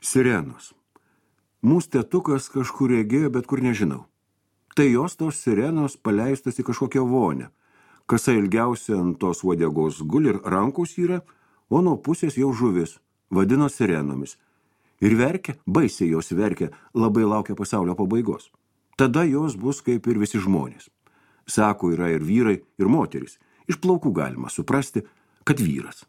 Sirenos. Mūsų tėtukas kažkur regėjo, bet kur nežinau. Tai jos tos sirenos paleistos į kažkokią vonę. Kasa ilgiausia ant tos uodegos guli ir rankos yra, o nuo pusės jau žuvis, vadino sirenomis. Ir verkia, baisiai jos verkia, labai laukia pasaulio pabaigos. Tada jos bus kaip ir visi žmonės. Sako, yra ir vyrai, ir moterys. Iš plaukų galima suprasti, kad vyras.